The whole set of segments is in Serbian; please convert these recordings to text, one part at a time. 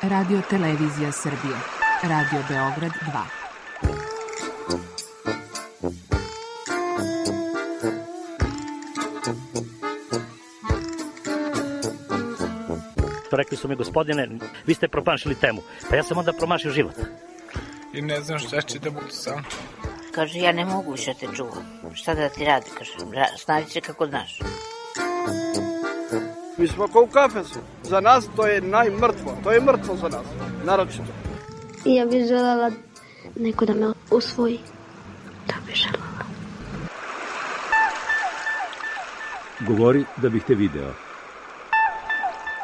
Radio Televizija Srbije. Radio Beograd 2. Rekli su mi, gospodine, vi ste promašili temu. Pa ja sam onda promašio život. I ne znam šta će da budu sam. Kaže, ja ne mogu više te čuvam. Šta da ti radi? Kaže, snađi se kako znaš. Mi smo kao u kafesu. Za nas to je najmrtvo. To je mrtvo za nas. Naročito. I ja bih želela neko da me usvoji. Da bih želela. Govori da bih te video.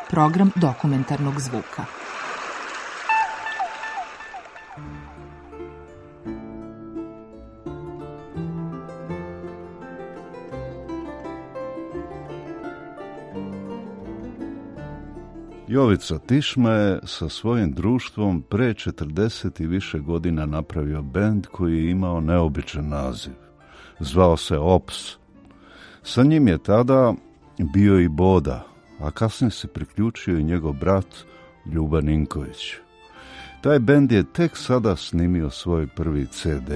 Program dokumentarnog zvuka. Jovica Tišma je sa svojim društvom pre 40 i više godina napravio bend koji je imao neobičan naziv. Zvao se Ops. Sa njim je tada bio i Boda, a kasnije se priključio i njegov brat Ljuba Ninković. Taj bend je tek sada snimio svoj prvi CD.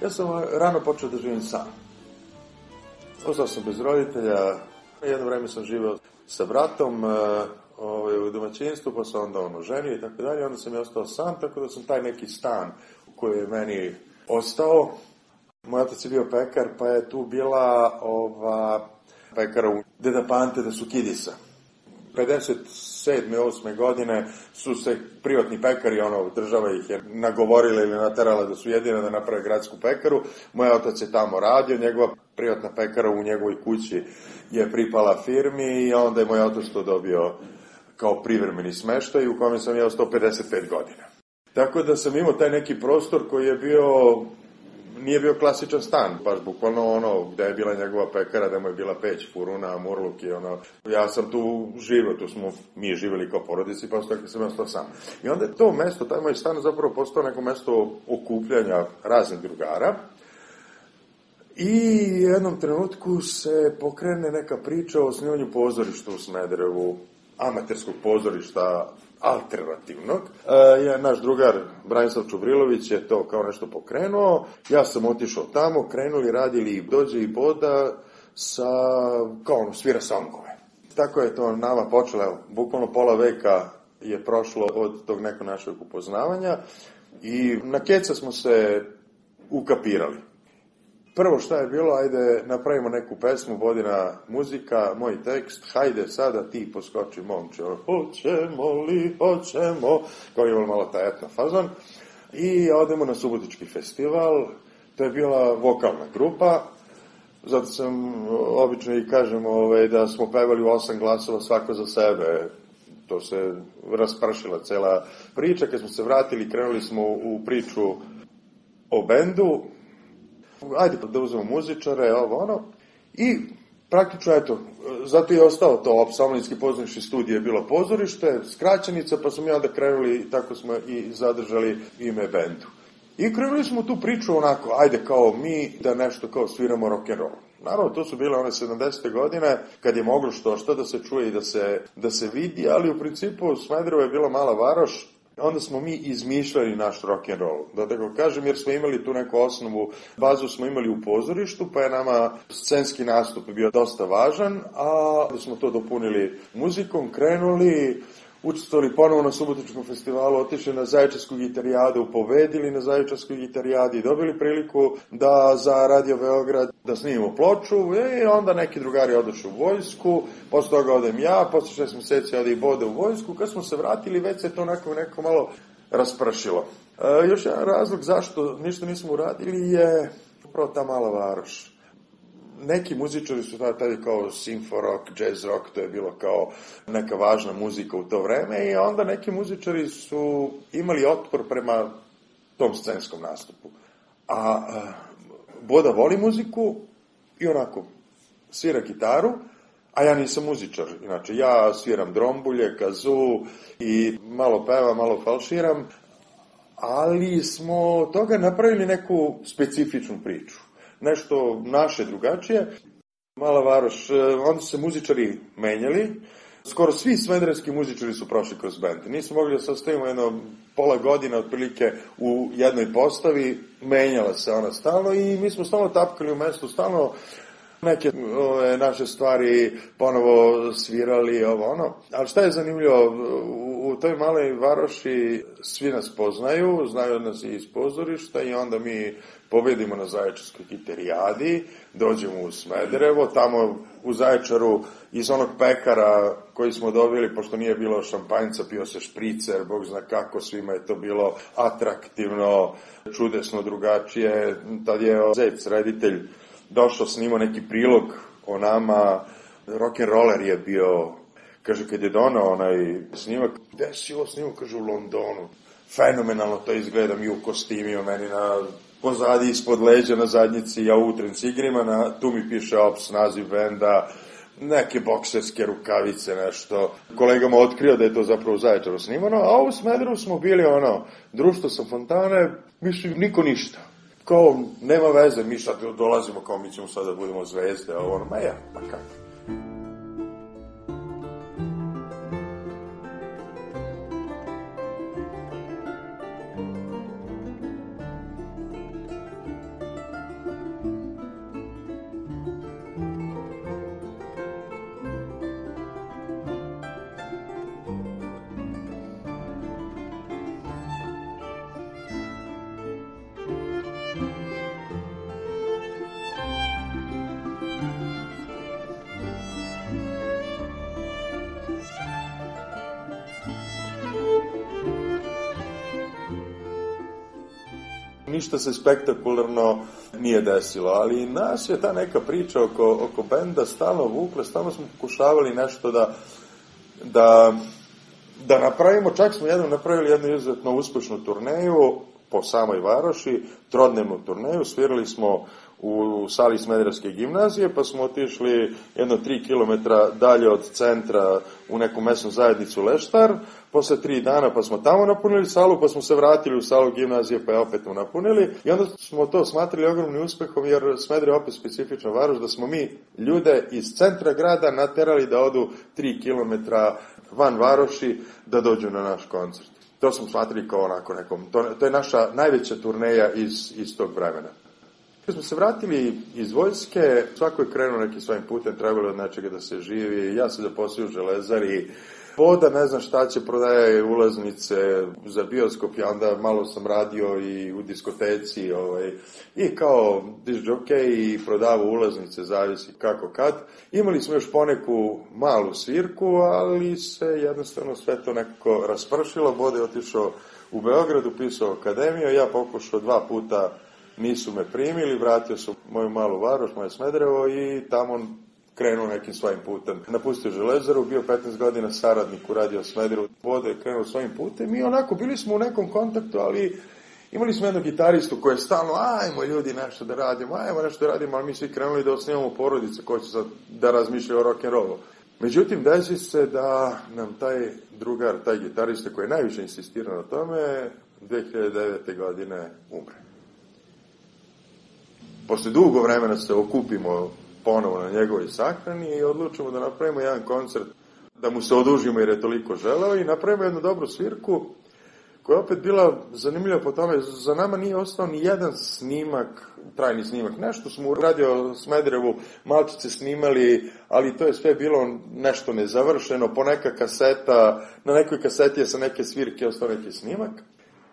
Ja sam rano počeo da živim sam. Ostao sam bez roditelja, jedno vreme sam živeo sa bratom u domaćinstvu, pa sam onda oženio i tako dalje, onda sam ja ostao sam, tako da sam taj neki stan koji je meni ostao. Moj otac je bio pekar, pa je tu bila pekara u Deda Pante da Sukidisa. 57. 8. godine su se privatni pekari, država ih je nagovorila ili naterala da su jedine da naprave gradsku pekaru. Moj otac je tamo radio, njegova privatna pekara u njegovoj kući je pripala firmi i onda je moj otac to dobio kao privremeni smeštaj u kome sam ja ostao 55 godina. Tako da sam imao taj neki prostor koji je nije bio klasičan stan, baš bukvalno gde je bila njegova pekara, gde mu je bila peć, furuna, murluk i ja sam tu živio, tu smo mi živjeli kao porodici, pa tako sam ostao sam. I onda je to mesto, taj moj stan zapravo postao neko mesto okupljanja raznih drugara i u jednom trenutku se pokrene neka priča o osnivanju pozorišta u Smederevu, amaterskog pozorišta, alternativnog. Naš drugar Branislav Čubrilović je to kao nešto pokrenuo, ja sam otišao tamo, krenuli, radili, dođe i Boda svira songove. Tako je to nama počelo, bukvalno pola veka je prošlo od tog nekog našeg upoznavanja i na keca smo se ukapirali. Prvo šta je bilo, ajde napravimo neku pesmu, Bodina muzika, moj tekst, hajde sada ti poskoči momče, hoćemo, kao je malo ta etna fazon, i odemo na Subotički festival, to je bila vokalna grupa, zato sam obično i kažem da smo pevali u 8 glasova svako za sebe, to se raspršila cela priča, kad smo se vratili, krenuli smo u priču o bendu, ajde da uzmemo muzičare, i praktično, zato je ostao to Opsamlinski pozorišni studij je bilo pozorište, skraćenica, pa smo i onda krenuli, tako smo i zadržali ime bendu. I krenuli smo tu priču ajde kao mi da nešto kao sviramo rock'n'roll. Naravno, to su bile one 70. godine, kad je moglo što da se čuje i da se vidi, ali u principu Smederevo je bila mala varoš. Onda smo mi izmišljali naš rock'n'roll, da tako kažem, jer smo imali tu neku osnovu, bazu smo imali u pozorištu, pa je nama scenski nastup bio dosta važan, a da smo to dopunili muzikom, krenuli, učestvovali ponovo na Subotičkom festivalu, otišli na Zaječarsku gitarijadu, pobedili na Zaječarskoj gitarijadi i dobili priliku da za Radio Beograd da snimimo ploču i onda neki drugari odošli u vojsku, posle toga odem ja, posle 6 meseci ode i Boda u vojsku, kad smo se vratili već se to neko malo raspršilo. Još jedan razlog zašto ništa nismo uradili je upravo ta mala varoš. Neki muzičari su tada kao simfo rock, jazz rock, to je bilo kao neka važna muzika u to vreme i onda neki muzičari su imali otpor prema tom scenskom nastupu. A Boda voli muziku i svira gitaru, a ja nisam muzičar. Inače, ja sviram drombulje, kazu i malo pevam, malo falširam, ali smo od toga napravili neku specifičnu priču. Nešto naše drugačije. Mala Varoš, onda su se muzičari menjali. Skoro svi smederevski muzičari su prošli kroz bend. Nismo mogli da sastavimo jedno pola godina otprilike u jednoj postavi, menjala se ona stalno i mi smo stalno tapkali u mestu, stalno neke naše stvari ponovo svirali, ovo ono. Ali šta je zanimljivo, u toj maloj Varoši svi nas poznaju, znaju nas i iz pozorišta i onda mi pobedimo na Zaječarskoj kiterijadi, dođemo u Smederevo, tamo u Zaječaru iz onog pekara koji smo dobili, pošto nije bilo šampanjca, pio se špricer, Bog zna kako, svima je to bilo atraktivno, čudesno, drugačije. Tad je Zec, reditelj, došao, snimao neki prilog o nama, rock'n'roller je bio, kaže, kad je donao onaj snimak, gde si ovo snimao, kaže, u Londonu. Fenomenalno to izgleda, mi u kostimima, meni na pozadi, ispod leđa, na zadnjici, ja u utrenci igrima, tu mi piše Ops, naziv benda, neke bokserske rukavice, nešto. Kolegama otkrio da je to zapravo u Zaječaru snimano, a u Smederevu smo bili društvo sa fontane, mislim, niko ništa. Kao, nema veze, mi sad dolazimo, kao mi ćemo sad da budemo zvezde, a ono, ma ja, pa kako? Ništa se spektakularno nije desilo, ali nas je ta neka priča oko benda stalno vukla, stalno smo pokušavali nešto da napravimo, čak smo jednom napravili jednu izuzetno uspešnu turneju po samoj Varoši, trodnevnu turneju, svirali smo u sali Smederevske gimnazije, pa smo otišli jedno 3 km dalje od centra u neku mesnu zajednicu Leštar, posle 3 dana pa smo tamo napunili salu, pa smo se vratili u salu gimnazije pa je opet napunili i onda smo to smatrali ogromnim uspehom jer Smederevo je opet specifična Varoš, da smo mi ljude iz centra grada naterali da odu 3 km van Varoši da dođu na naš koncert. To smo smatrali kao onako nekom, to je naša najveća turneja iz tog vremena. Kad smo se vratili iz vojske, svako je krenuo nekim svojim putem, trebalo od nečega da se živi, ja se zaposlio u Železari, Voda ne znam šta će, prodaje ulaznice za bioskop, ja onda malo sam radio i u diskoteci, i kao disc-jockey i prodavao ulaznice, zavisi kako kad. Imali smo još poneku malu svirku, ali se jednostavno sve to nekako raspršilo. Voda je otišao u Beograd, upisao akademiju, ja pokušao 2 puta, nisu me primili, vratio sam moju malu Varoš, moje Smederevo i tamo krenuo nekim svojim putem. Napustio Železaru, bio 15 godina saradnik u Radio Smederevu, Voda je krenuo svojim putem i onako bili smo u nekom kontaktu, ali imali smo jednog gitaristu koji je stalno, ajmo ljudi nešto da radimo, ali mi svi krenuli da osnivamo porodice koji će sad da razmišljaju o rock'n'rollu. Međutim, desi se da nam taj drugar, taj gitarista koji je najviše insistirao na tome, 2009. godine umre. Posle dugo vremena se okupimo ponovo na njegovoj sahrani i odlučimo da napravimo jedan koncert, da mu se odužimo jer je toliko želeo i napravimo jednu dobru svirku koja je opet bila zanimljiva po tome. Za nama nije ostao ni jedan snimak, trajni snimak. Nešto smo u Radio Smederevu malčice snimali, ali to je sve bilo nešto nezavršeno, po neka kaseta, na nekoj kaseti je sa neke svirke ostao neki snimak.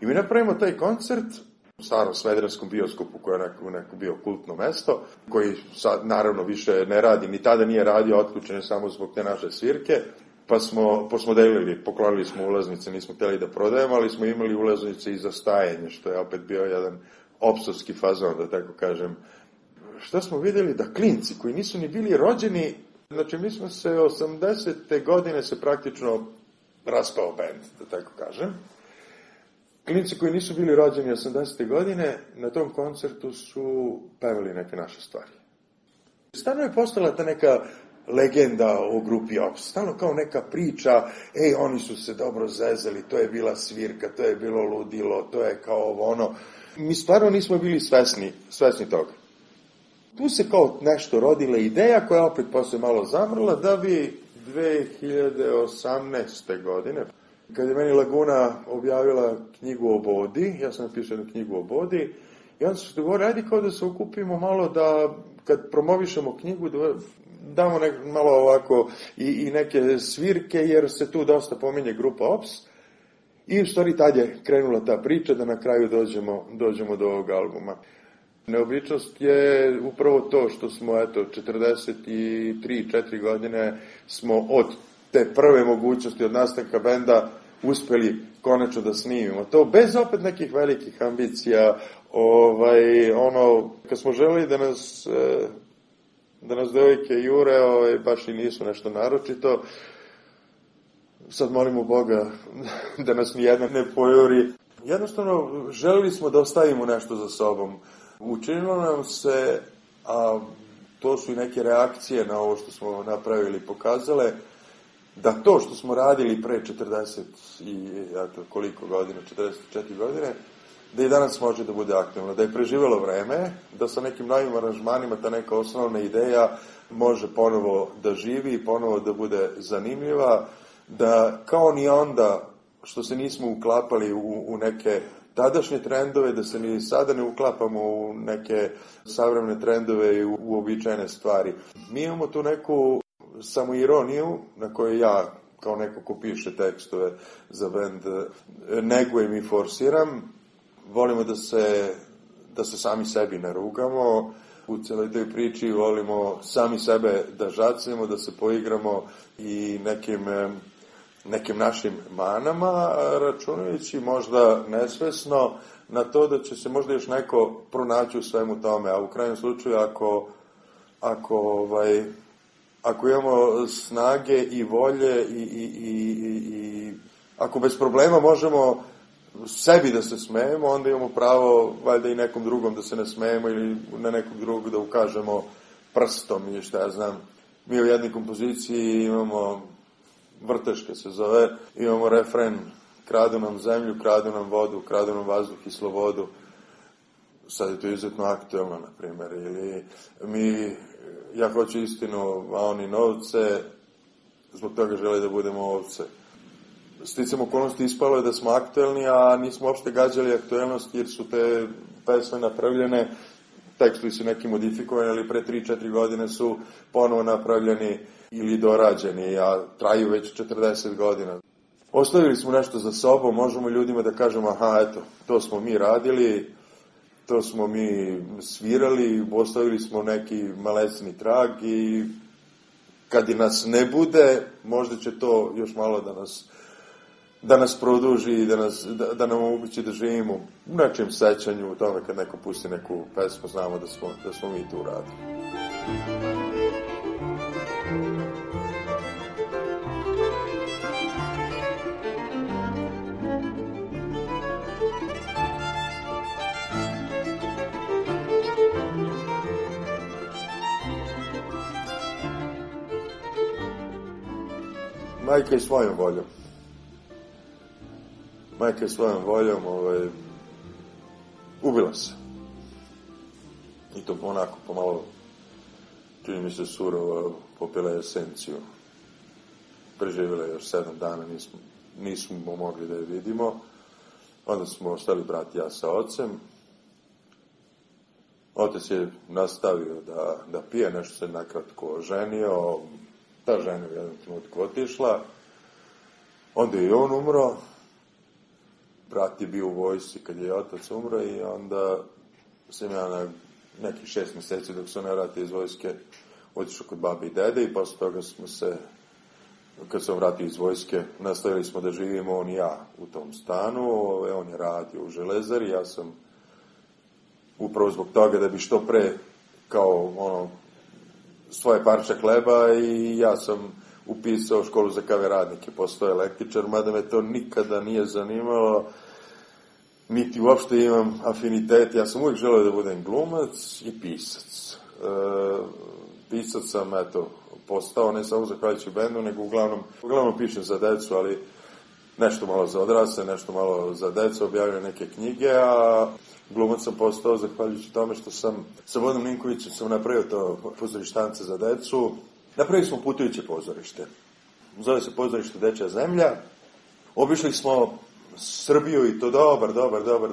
I mi napravimo taj koncert u starom Smederevskom bioskopu koji je neko bio kultno mesto, koji sad naravno više ne radi, ni tada nije radio, otključen je samo zbog te naše svirke, pa smo delili, poklonili smo ulaznice, nismo htjeli da prodajemo, ali smo imali ulaznice i za stajanje, što je opet bio jedan opsovski fazon, da tako kažem. Šta smo vidjeli? Da klinci koji nisu ni bili rođeni, znači mi smo se 80. godine se praktično raspao bend, da tako kažem. Klinci koji nisu bili rođeni 80. godine, na tom koncertu su pevali neke naše stvari. Stvarno je postala ta neka legenda o grupi Ops. Stalno kao neka priča, oni su se dobro zezali, to je bila svirka, to je bilo ludilo, to je kao ono. Mi stvarno nismo bili svesni toga. Tu se kao nešto rodila ideja koja opet posle malo zamrla, da bi 2018. godine, kad je meni Laguna objavila knjigu o Bodi, ja sam napisao jednu knjigu o Bodi, i onda se dogovorili, ajde kao da se okupimo malo da, kad promovišemo knjigu, da damo malo ovako i neke svirke, jer se tu dosta pominje grupa Ops. I u stvari tad je krenula ta priča da na kraju dođemo do ovog albuma. Neobičnost je upravo to što smo, 43-4 godine smo od te prve mogućnosti, od nastanka benda, uspeli konačno da snimimo. To bez opet nekih velikih ambicija, kad smo želeli da nas devojke jure, baš i nisu nešto naročito. Sad molimo Boga da nas nijedna ne pojuri. Jednostavno, želeli smo da ostavimo nešto za sobom. Učinilo nam se, a to su i neke reakcije na ovo što smo napravili, pokazale, da to što smo radili pre 40 i koliko godina, 44 godine, da i danas može da bude aktualno, da je preživelo vreme, da sa nekim novim aranžmanima ta neka osnovna ideja može ponovo da živi i ponovo da bude zanimljiva, da kao ni onda što se nismo uklapali u neke tadašnje trendove, da se ni sada ne uklapamo u neke savremene trendove i uobičajene stvari. Mi imamo tu neku samoironiju na kojoj ja, kao neko ko piše tekstove za bend, negujem i forsiram. Volimo da se sami sebi narugamo. U celoj toj priči volimo sami sebe da žacnemo, da se poigramo i nekim našim manama, računajući možda nesvesno na to da će se možda još neko pronaći u svemu tome, a u krajnjem slučaju ako imamo snage i volje i ako bez problema možemo sebi da se smejemo, onda imamo pravo valjda i nekom drugom da se ne smejemo ili na nekog drugog da ukažemo prstom ili šta ja znam. Mi u jednoj kompoziciji imamo, Vrteške se zove, imamo refren: kradu nam zemlju, kradu nam vodu, kradu nam vazduh i slobodu. Sad je to izuzetno aktuelno, na primjer. Ili ja hoću istinu, a oni novce, zbog toga žele da budemo ovce. Sticam okolnosti ispalo je da smo aktuelni, a nismo uopšte gađali aktuelnost, jer su te pesme napravljene, tekstovi su neki modifikovani, ali pre 3-4 godine su ponovo napravljeni ili dorađeni, a traju već 40 godina. Ostavili smo nešto za sobom, možemo ljudima da kažemo, aha, eto, to smo mi radili, to smo mi svirali, ostavili smo neki malesni trag i kad i nas ne bude, možda će to još malo da nas produži i da nam omogući da živimo u nečijem sećanju, u tome kad neko pusti neku pesmu, znamo da smo mi tu radili. Majka je svojom voljom. Majka je svojom voljom ubila se. I to onako pomalo, čini mi se, surovo, popila je esenciju. Preživjela je još 7 dana, nismo mogli da je vidimo. Onda smo ostali brat i ja sa ocem. Otac je nastavio da pije, nešto se nakratko oženio. Ta žena u jednom trenutku otišla. Onda je i on umro. Brat je bio u vojsci kad je otac umro i onda sam ja na nekih 6 mjeseci dok se ne vrati iz vojske otišao kod babi i dede i posle toga smo se, kad sam vratio iz vojske, nastavili smo da živimo on i ja u tom stanu. On je radio u železari, ja sam upravo zbog toga da bi što pre kao svoje parče hleba i ja sam upisao školu za KV radnike, postao električar, mada me to nikada nije zanimalo, niti uopšte imam afinitet. Ja sam uvijek želeo da budem glumac i pisac. Pisac sam, postao, ne samo zahvaljujući bendu, nego uglavnom pišem za decu, ali nešto malo za odrasle, nešto malo za decu, objavio neke knjige, a glumac sam postao zahvaljujući tome što sam sa Vodom Ninkovićem sam napravio to pozorištance za decu. Napravili smo putujuće pozorište. Zove se pozorište Dečja zemlja. Obišli smo Srbiju i to dobar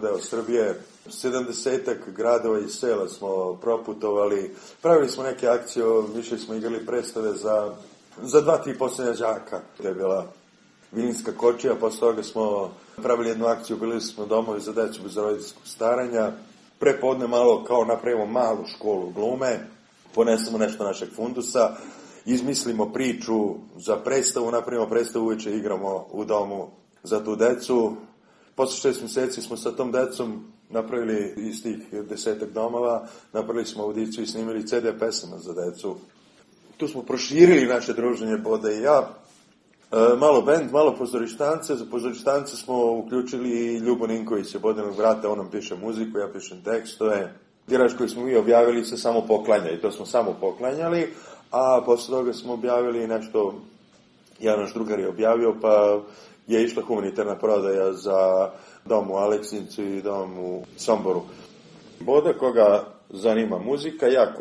deo Srbije. 70-ak gradova i sela smo proputovali. Pravili smo neke akcije, više smo igrali predstave za 2-3 posljednja đaka. To je bila Vilinska kočija, posle toga smo pravili jednu akciju, bili smo domovi za decu bez roditeljskog staranja. Prepodne malo kao napravimo malu školu glume, ponesemo nešto našeg fundusa, izmislimo priču za predstavu, napravimo predstavu, uveče igramo u domu za tu decu. Posle 6 mjeseci smo sa tom decom napravili iz tih 10 domova, napravili smo audiciju i snimili CD pesama za decu. Tu smo proširili naše druženje, Boda i ja. Malo bend, malo pozorištance. Za pozorištance smo uključili i Ljubo Ninkovića, Bodanog brata, on nam piše muziku, ja pišem tekstove. Tiraž koji smo mi objavili se samo poklanja i to smo samo poklanjali, a posle toga smo objavili nešto, jedan naš drugar je objavio, pa je išla humanitarna prodaja za dom u Aleksincu i dom u Somboru. Boda, koga zanima muzika, ja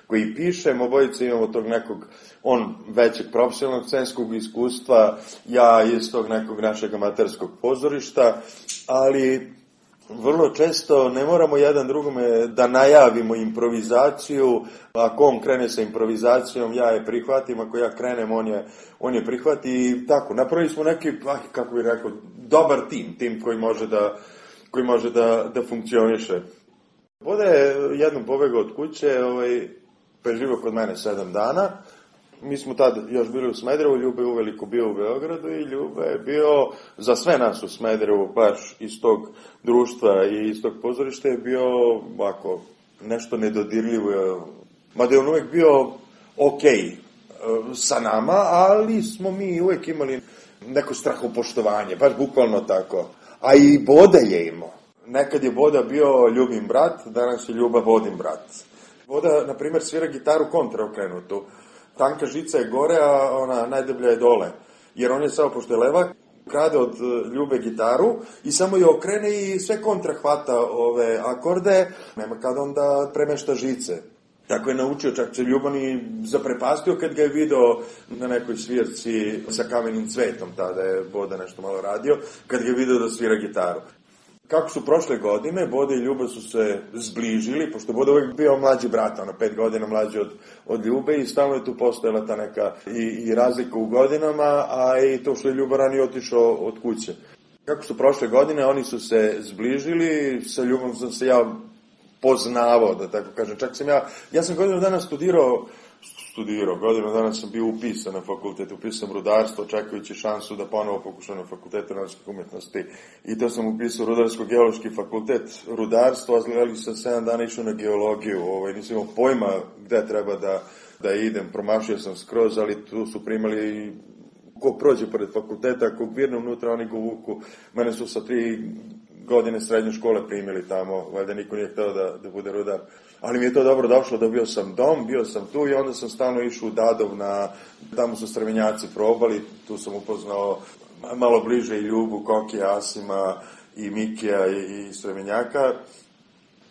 koji pišem, obojice imamo tog nekog, on većeg profesionalnog scenskog iskustva, ja iz tog nekog našeg amaterskog pozorišta, ali vrlo često ne moramo jedan drugome da najavimo improvizaciju. Ako on krene sa improvizacijom, ja je prihvatim, ako ja krenem, on je prihvati i tako. Napravili smo neki, kako bih rekao, dobar tim koji može da funkcioniše. Boda je jednom pobegao od kuće, preživao kod mene 7 dana. Mi smo tad još bili u Smederevu, Ljube uveliko bio u Beogradu i Ljube je bio za sve nas u Smederevu, baš iz tog društva i iz tog pozorišta je bio ovako, nešto nedodirljivo. Mada je on uvek bio okej sa nama, ali smo mi uvek imali neko strahopoštovanje, baš bukvalno tako. A i Boda je imao. Nekad je Boda bio Ljubin brat, danas je Ljuba Vodin brat. Boda, na primjer, svira gitaru kontraokrenutu. Tanka žica je gore, a ona najdeblja je dole. Jer on je samo, pošto je levak, krade od Ljube gitaru i samo je okrene i sve kontra hvata ove akorde. Nema kad onda premešta žice. Tako je naučio, čak se Ljuban i zaprepastio kad ga je video na nekoj svirci sa Kamenim cvetom, tada je Boda nešto malo radio, kad ga je video da svira gitaru. Kako su prošle godine, Boda i Ljuba su se zbližili, pošto Boda uvijek bio mlađi brat, 5 godina mlađi od Ljube i stalno je tu postojala ta neka i razlika u godinama, a i to što je Ljuba ranije otišao od kuće. Kako su prošle godine, oni su se zbližili, sa Ljubom sam se ja poznavao, da tako kažem. Čak sam ja sam godinu dana studirao, godinu dana sam bio upisan na fakultet, upisam rudarstvo, čekajući šansu da ponovo pokušam na fakultetu narodskih umjetnosti. I to sam upisao rudarsko-geološki fakultet, rudarstvo, ali sam 7 dana išao na geologiju, nisam imao pojma gde treba da idem, promašio sam skroz, ali tu su primali ko prođe pored fakulteta, ako virne unutra, oni go vuku. Mene su sa 3 godine srednje škole primili tamo, valjda niko nije hteo da bude rudar. Ali mi je to dobro došlo, dobio sam dom, bio sam tu i onda sam stalno išao u Dadov, tamo su Strvenjaci probali, tu sam upoznao malo bliže i Ljubu, Kokija, Asima i Mikija i Strvenjaka.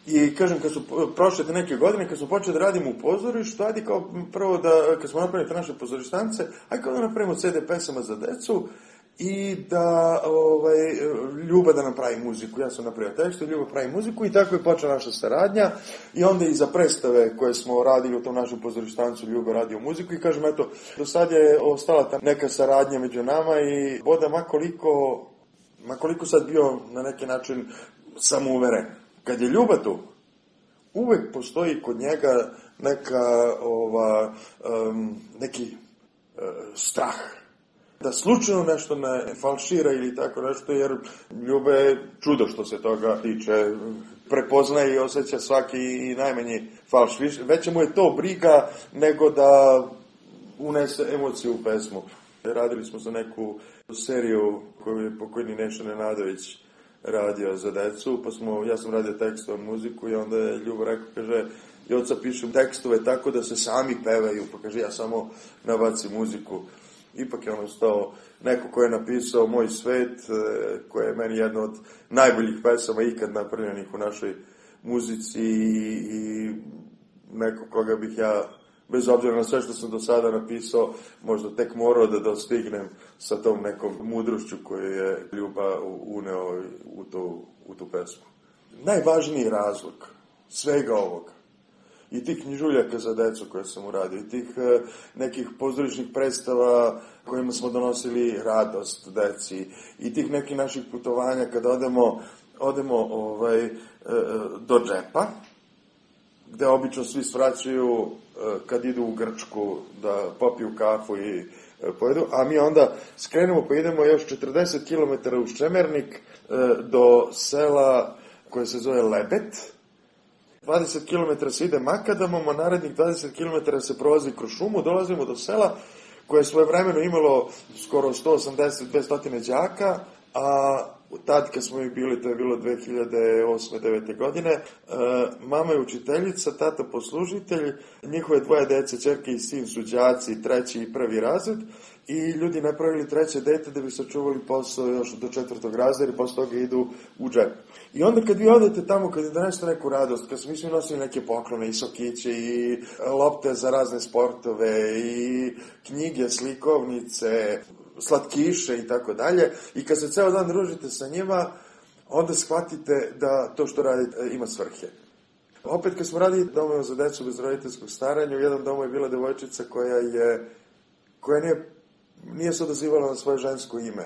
I kažem, kad su prošle te neke godine, kad smo počeli da radimo u pozorištu, ajde kao prvo kad smo napravili te naše pozorištance, ajde kao da napravimo CD pesama za decu, i da Ljuba da nam pravi muziku. Ja sam napravio tekst, Ljuba pravi muziku i tako je počela naša saradnja i onda i za predstave koje smo radili u tom našem pozorištancu Ljuba radio muziku i kažem, eto, do sad je ostala ta neka saradnja među nama i Boda makoliko sad bio na neki način samouveren. Kad je Ljuba tu, uvek postoji kod njega neki strah da slučajno nešto ne falšira ili tako nešto, jer Ljube je čudo što se toga tiče. Prepoznaje i osjeća svaki i najmanji falš. Veće mu je to briga nego da unese emociju u pesmu. Radili smo za neku seriju koju je pokojni Neša Nenadović radio za decu, pa ja sam radio tekst, on muziku i onda je Ljubo rekao, kaže, i oca pišem tekstove tako da se sami pevaju, pa kaže ja samo nabacim muziku. Ipak je on ostao neko ko je napisao Moj svet, koja je meni jedna od najboljih pesama ikad napravljenih u našoj muzici i neko koga bih ja, bez obzira na sve što sam do sada napisao, možda tek morao da dostignem sa tom nekom mudrošću koju je Ljuba uneo u tu pesmu. Najvažniji razlog svega ovoga i tih knjižuljaka za decu koje sam uradio, i tih nekih pozorišnih predstava kojima smo donosili radost deci, i tih nekih naših putovanja kada odemo do džepa, gde obično svi svraćaju kad idu u Grčku da popiju kafu i pojedu, a mi onda skrenemo pa idemo još 40 km u Ščemernik do sela koje se zove Lebet. 20 km se ide makadamom, a narednih 20 km se prolazi kroz šumu, dolazimo do sela koje je svojevremeno imalo skoro 180-200 đaka, a tad kad smo mi bili, to je bilo 2008-2009. godine, mama je učiteljica, tata poslužitelj, njihove dvoje dece, ćerke i sin su đaci, 3. i 1. razred, i ljudi napravili 3. dete da bi sačuvali posao još do 4. razreda i posle toga idu u džep. I onda kad vi odete tamo, kad je donesete neku radost, kad smo mi svi nosili neke poklone i sokiće i lopte za razne sportove i knjige, slikovnice, slatkiše i tako dalje, i kad se ceo dan družite sa njima, onda shvatite da to što radite ima svrhe. Opet kad smo radili domove za decu bez roditeljskog staranja, u jednom domu je bila devojčica koja nije se odazivala na svoje žensko ime.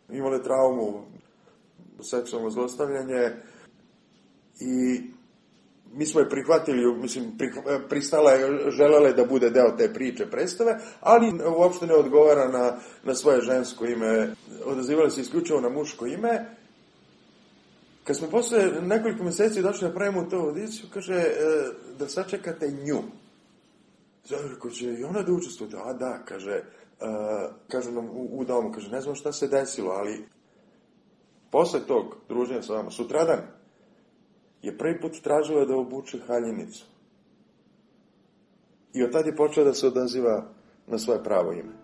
Imala je traumu, seksualno zlostavljanje, i mi smo je prihvatili, pristala je, želela je da bude deo te priče, predstave, ali uopšte ne odgovara na svoje žensko ime, odazivala se isključivo na muško ime. Kad smo posle nekoliko meseci došli da pravimo tu audiciju, kaže da sačekate nju. Rekao će i ona da učestvuje. A da, kaže nam u domu, kaže, ne znam šta se desilo, ali posle tog druženja sa vama, sutradan, je prvi put tražila da obuče haljinicu. I od tada je počela da se odaziva na svoje pravo ime.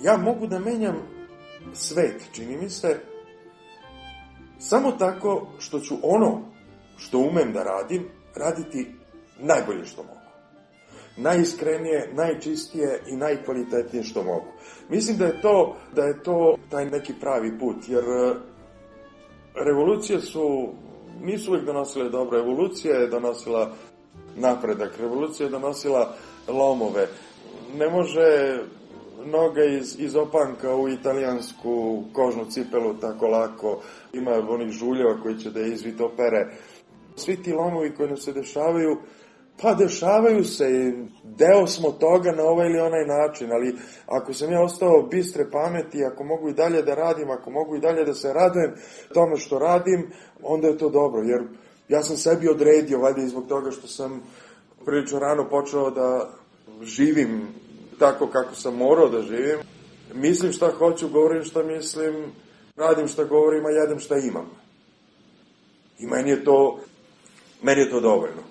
Ja mogu da menjam svet, čini mi se, samo tako što ću ono što umem da radim, raditi najbolje što mogu. Najiskrenije, najčistije i najkvalitetnije što mogu. Mislim da je to taj neki pravi put, jer revolucije nisu uvijek donosile dobro. Evolucija je donosila napredak, revolucija je donosila lomove. Ne može noga iz opanka u italijansku kožnu cipelu tako lako. Ima onih žuljeva koji će da izvit opere. Svi ti lomovi koji nam se dešavaju, pa dešavaju se, deo smo toga na ovaj ili onaj način, ali ako sam ja ostao bistre pameti, ako mogu i dalje da radim, ako mogu i dalje da se radujem tome što radim, onda je to dobro, jer ja sam sebi odredio, valjda i zbog toga što sam prilično rano počeo da živim tako kako sam morao da živim. Mislim šta hoću, govorim šta mislim, radim šta govorim, a jedem šta imam. I meni je to dovoljno.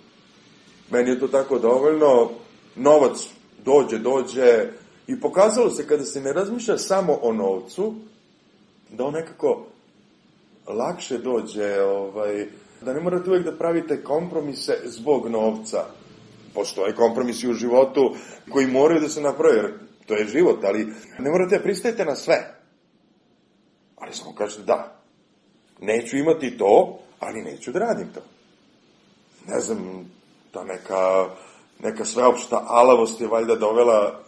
Meni je to tako dovoljno, novac dođe i pokazalo se kada se ne razmišlja samo o novcu, da on nekako lakše dođe, da ne morate uvijek da pravite kompromise zbog novca. Postoje kompromisi u životu koji moraju da se naprave, jer to je život, ali ne morate da pristajete na sve. Ali samo kažete da, neću imati to, ali neću da radim to. Ne znam, ta neka sveopšta alavost je valjda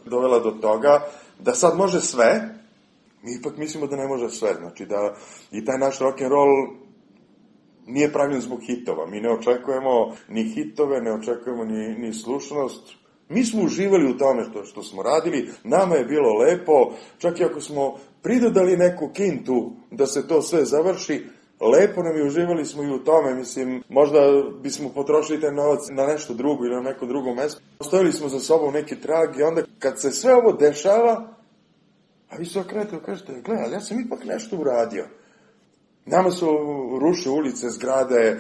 dovela do toga da sad može sve, mi ipak mislimo da ne može sve. Znači da i taj naš rock'n'roll nije pravljen zbog hitova. Mi ne očekujemo ni hitove, ne očekujemo ni slušanost. Mi smo uživali u tome što smo radili, nama je bilo lepo, čak i ako smo pridodali neku kintu da se to sve završi, lepo nam je, uživali smo i u tome, mislim, možda bismo potrošili taj novac na nešto drugo ili na neko drugo mesto. Ostavili smo za sobom neki trag i onda kad se sve ovo dešava, a vi se okrenete i kažete, gledaj, ja sam ipak nešto uradio. Nama su rušili ulice, zgrade,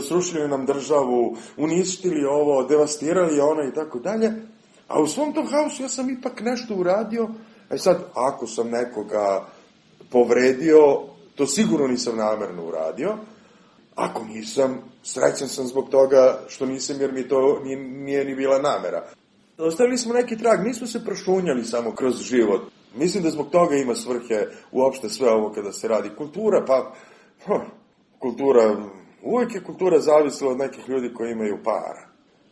srušili nam državu, uništili ovo, devastirali ono i tako dalje, a u svom tom haosu ja sam ipak nešto uradio. Sad, ako sam nekoga povredio, to sigurno nisam namerno uradio. Ako nisam, srećan sam zbog toga što nisam, jer mi to nije ni bila namera. Ostavili smo neki trag, nismo se prošunjali samo kroz život. Mislim da zbog toga ima svrhe uopšte sve ovo kada se radi. Kultura, kultura, uvijek je kultura zavisila od nekih ljudi koji imaju para.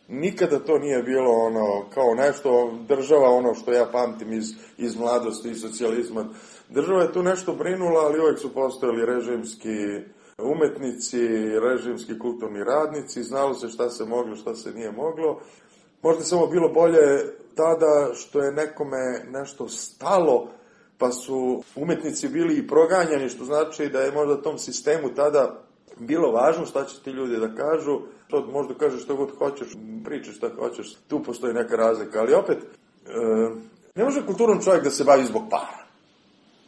Nikada to nije bilo ono, kao nešto, država, ono što ja pamtim iz mladosti i socijalizma. Država je tu nešto brinula, ali uvijek su postojali režimski umetnici, režimski kulturni radnici, znalo se šta se moglo, šta se nije moglo. Možda samo bilo bolje tada što je nekome nešto stalo, pa su umetnici bili i proganjani, što znači da je možda tom sistemu tada bilo važno šta će ti ljudi da kažu. Možda kažeš što god hoćeš, pričaš šta hoćeš, tu postoji neka razlika, ali opet, ne može kulturan čovjek da se bavi zbog para.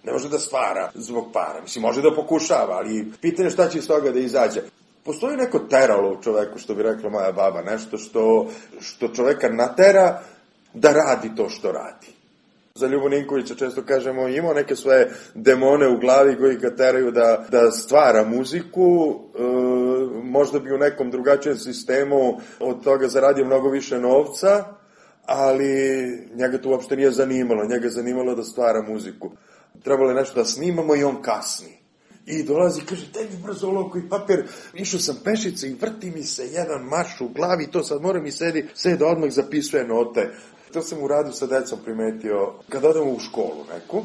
Ne može da stvara zbog para. Mislim, može da pokušava, ali pitanje šta će iz toga da izađe. Postoji neko teralo u čoveku, što bi rekla moja baba, nešto što čoveka natera da radi to što radi. Za Ljubu Ninkovića često kažemo, imao neke svoje demone u glavi koji ga teraju da stvara muziku, možda bi u nekom drugačijem sistemu od toga zaradio mnogo više novca, ali njega to uopšte nije zanimalo, njega je zanimalo da stvara muziku. Trebalo je nešto da snimamo i on kasni. I dolazi i kaže, daj mi brzo olovku i papir, išao sam pešice i vrti mi se jedan marš u glavi, to sad moram i sedi da odmah zapisuje note. To sam u radu sa decom primetio kad odemo u školu neku,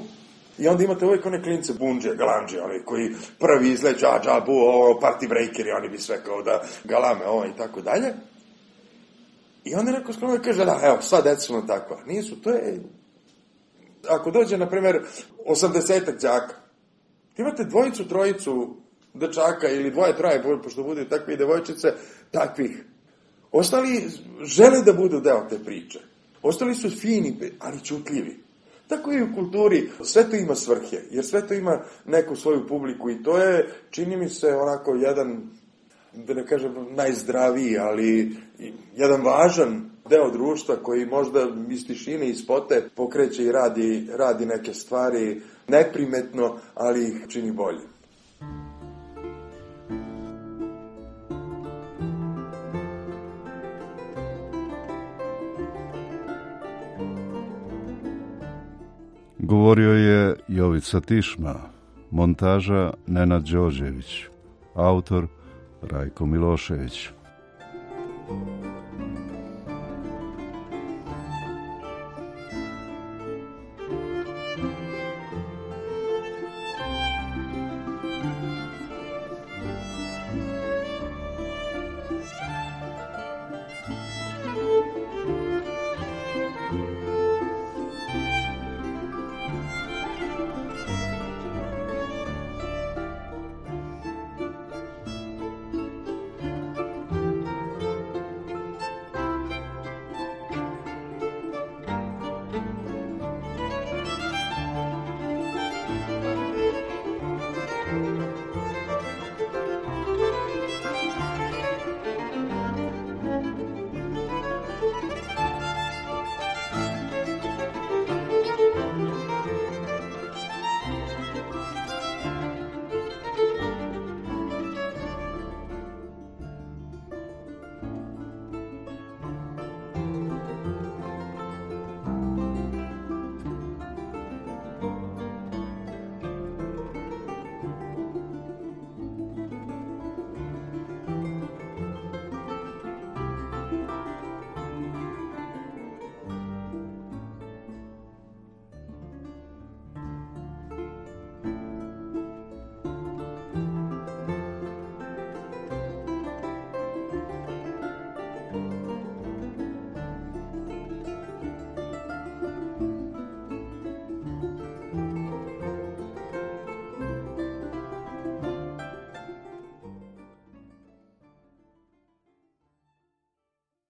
i onda imate uvijek one klince bunđe, galanđe, oni koji prvi izleđu, džabu, party breakeri, oni bi sve kao da galame, i tako dalje. I onda neko skromno kaže, da, evo, sva deca su nam takva. Nisu, to je, ako dođe, na primjer, 80-ak đaka, imate dvojicu, trojicu dečaka ili dvoje, troje, pošto budu takve i devojčice, takvih. Ostali žele da budu deo te priče. Ostali su fini, ali čutljivi. Tako i u kulturi. Sve to ima svrhe, jer sve to ima neku svoju publiku i to je, čini mi se, onako jedan, da ne kažem najzdraviji, ali jedan važan deo društva koji možda iz tišine, iz spote pokreće i radi neke stvari neprimetno, ali ih čini bolje. Govorio je Jovica Tišma, montaža Nenad Đorđević, autor Rajko Milošević.